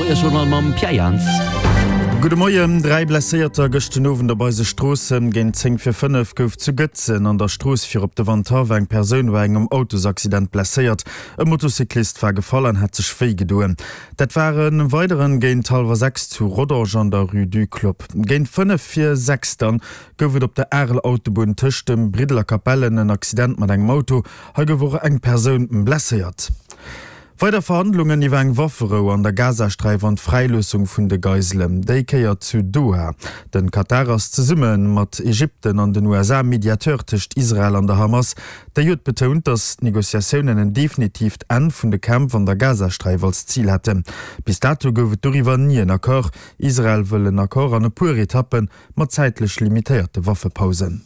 Moiesjournal mam Pierre Jans. Gudde Moien. 3 Blesséierter gëscht den Owend op eise Stroossen. Géint 10 vir 5 gouf zu Gëtzen an der Strooss fir op de Wandhaff eng Persoun bei engem Autosaccident blesséiert. E Motocyclist war gefall an hat sech wéi gedoen. Dat war e weideren géint hallwer 6 zu Rodange an der Rue du Club. Géint 5 vir 6 dann gouf et op der Arel-Autobunn tëscht dem Briddel a Capellen en Accident mat engem Auto. Hei gouf och eng Persoun blesséiert. Weider Verhandlungen iwwer eng Wafferou an der Gazasträif an d'Fräiloossung vun de Geiselen, déi Kéier zu Doha. Den Katar ass zesumme mat Ägypten an den USA Mediateur tëscht Israel an der Hamas. Déi huet betount, datt d'Negociatiounen en definitiivt Enn vun de Kämpf an der Gazasträif als Zil hätten. Bis dato gouf et doriwwer ni en Accord. Israel wëll en Accord an e puer Etappen, mat zäitlech limitéierte Waffepausen.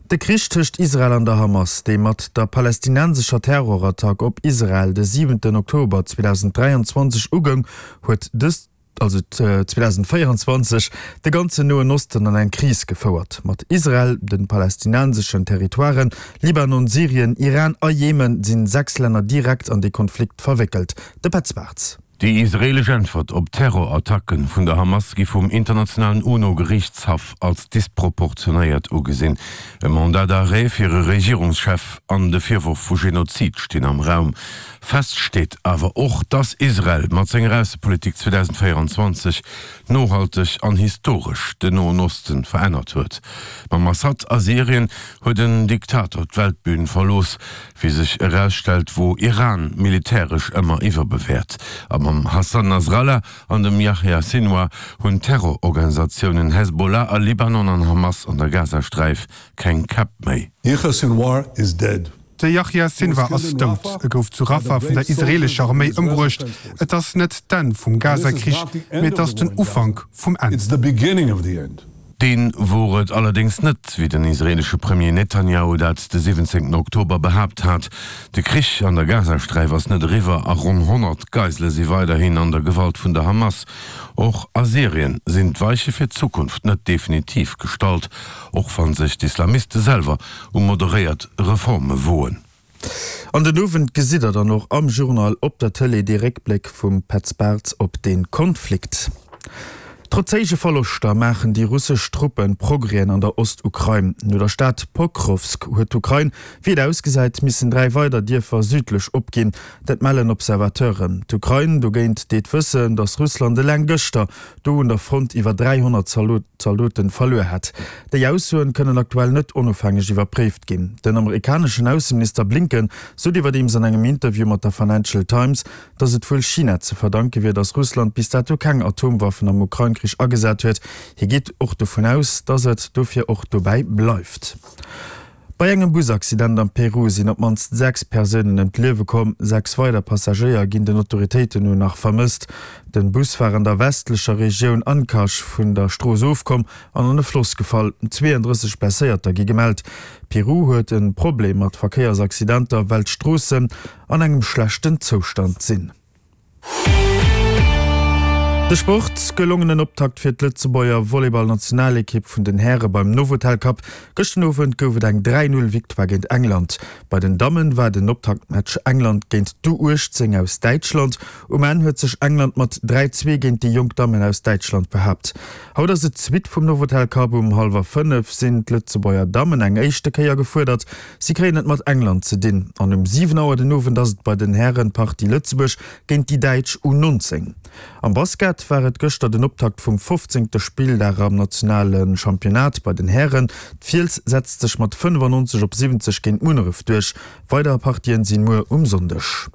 De Krich tëscht Israel an der Hamas, dee mat der palästinensescher Terrorattack op Israel de siwenten Oktober 2023 ugoung, huet dës, also 2024, de ganzen Noen Osten an eng Kris gefouert. Mat Israel, de palästinenseschen Territoiren, Libanon, Syrien, Iran a Jemen sinn 6 Länner direkt an dee Konflikt verwéckelt. De Petz Bartz. Déi israeelesch Äntwert op d'Terrorattacke vun der Hamas gi vum internationalen UNO-Geriichtshaff als disproportionéiert ugesinn. E Mandat d'arrêt fir e Regierungschef an de Virworf vu Genozid stinn am Raum. Fest steet awer och, datt Israel mat senger Aussepolitik 2024 nohalteg an historesch den Noen Osten verännert huet. Mam Assad a Syrien huet en Diktator d'Weltbün verlooss. Wéi sech erausstellt, wor Iran militäresch ëmmer iwwerbewäert. A mam Hassan Nasrallah an dem Yahya Sinwar hunn d'Terrororganisatiounen Hezbollah a Libanon an Hamas an der Gazasträif keng Käpp méi. Yahya Sinwar is dead. De Yahya Sinwar ass dout. E gouf zu Rafah vun der israeelescher Arméi ëmbruecht. Et ass net d'Enn vum Gaza-Krich, mee et ass den Ufank vum Enn. Deen wor et allerdéngs net, wéi den israeelesche Premier Netanjahu dat de 17 Oktober behaapt hat. De Krich an der Gazasträif ass net eriwwer a ronn 100 Geisele si weiderhin an der Gewalt vun der Hamas. Och a Syrien sinn d'Weiche fir d'Zukunft net definitiv gestallt, och wa sech d'Islamiste selwer u moderéiert Reforme woen. An den Owend gesitt der dann och am Journal op der Tëlee dee Réckbléck vum Petz Bartz op dee Konflikt. Trotz héije Verloschter maachen déi russesch Truppe Progrèsen an der Ostukrain. No der Stad Pokrowsk huet d'Ukrain, wéi et ausgesäit, missen 3 weider Dierfer südlech opginn. Dat mellen Observateuren. D'Ukrain dogéint deet wëssen, datt Russland eleng gëschter do un der Front iwwer 300 Zaldoten verluer hätt. Déi Aussoen kënnen aktuell net onofhängeg iwwerpréift ginn. Den amerikaneschen Ausseminister Blinken sot iwwerdeems an engem Interview mat der Financial Times, datt et wuel China ze verdanke wier, datt Russland bis dato keng Atomwaffen am Ukrain-Krich agesat huet. Hie geet och dovun aus, datt et dofir och dobäi bleift. Bei engem Busaccident am Peru sinn op d'mannst 6 Persounen ëm d'Liewe komm. 6 weider Passagéier ginn den Autoritéiten no nach vermësst. Den Bus war an der westlecher Regioun Ancash vun der Strooss ofkomm an an e Floss gefall. 32 Blesséierter gi gemellt. Peru huet e Problem mat Verkéiersaccidenter, well d'Stroossen an engem schlechten Zoustand sinn. De Sport, Gelongenen Optakt fir d'Lëtzebuerger Volleyball-Nationalekipp vun den Häre beim Novotel Cup. Gëschten Owend gouf et eng 3, 0 Victoire géint England. Bei den Dammen war den Optaktmatch England géint d'U18 aus Däitschland. Um Enn huet sech England mat 3, 2 géint déi jonk Dammen aus Däitschland behaapt. Haut ass et d'Suite vum Novotel Cup. Um hallwer 5 sinn d'Lëtzebuerger Dammen eng éischte Kéier gefuerdert. Si kréien et mat England ze dinn an um 7 Auer den Owend ass et bei den Hären d'Partie Lëtzebuerg géint déi Däitsch U19. Am Basket war et gëschter den Optakt vum 15. Spilldag am nationale Championnat bei den Hären. D'Fiels setzt sech mat 95 op 70 géint Munneref duerch. Weider Partien sinn muer um Sonndeg.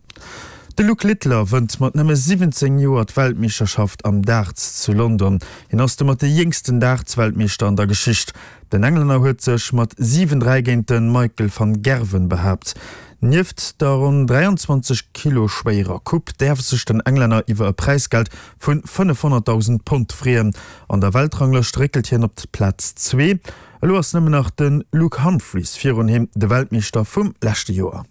De Luke Littler wënnt mat nëmme 17 Joer d'Weltmeeschterschaft am Darts zu London. Hien ass domat de jéngsten Darts-Weltmeeschter an der Geschicht. Den Englänner huet sech mat 7, 3 géint de Michael van Gerwen behaapt. Nieft der ronn 23 Kilo schwéierer Coupe däerf sech den Englänner iwwer e Präisgeld vu 500.000 Pond freeën. An der Weltranglëscht réckelt hien op d'Plaz zwee. Elo ass nëmmen nach de Luke Humphries virun him, de Weltmeeschter vum leschte Joer.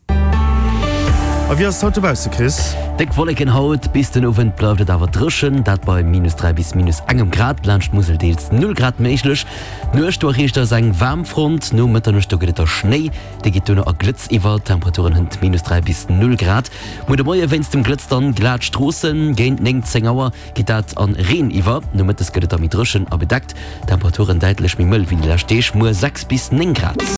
A wéi ass et haut dobausse, Chris? Déck Wolleken haut, bis den Owend bleift et awer dréchen, dat bei minus 3 bis minus engem Grad, laanscht d'Musel deels 0 Grad méiglech. D'Nuecht, do erreecht eis eng Waarmfront, no Mëtternuecht do gëtt et da Schnéi, dee geet duerno a Glëtz iwwer, Temperaturen hënt minus 3 bis 0 Grad. Muer de Moie wéinst dem Glëtz dann glat Stroossen, géint 9, 10 Auer geet dat an Reen iwwer. Nomëttes gëtt et da méi dréchen a bedeckt, Temperaturen däitlech méi mëll wéi déi lescht Deeg, muer 6 bis 9 Grad.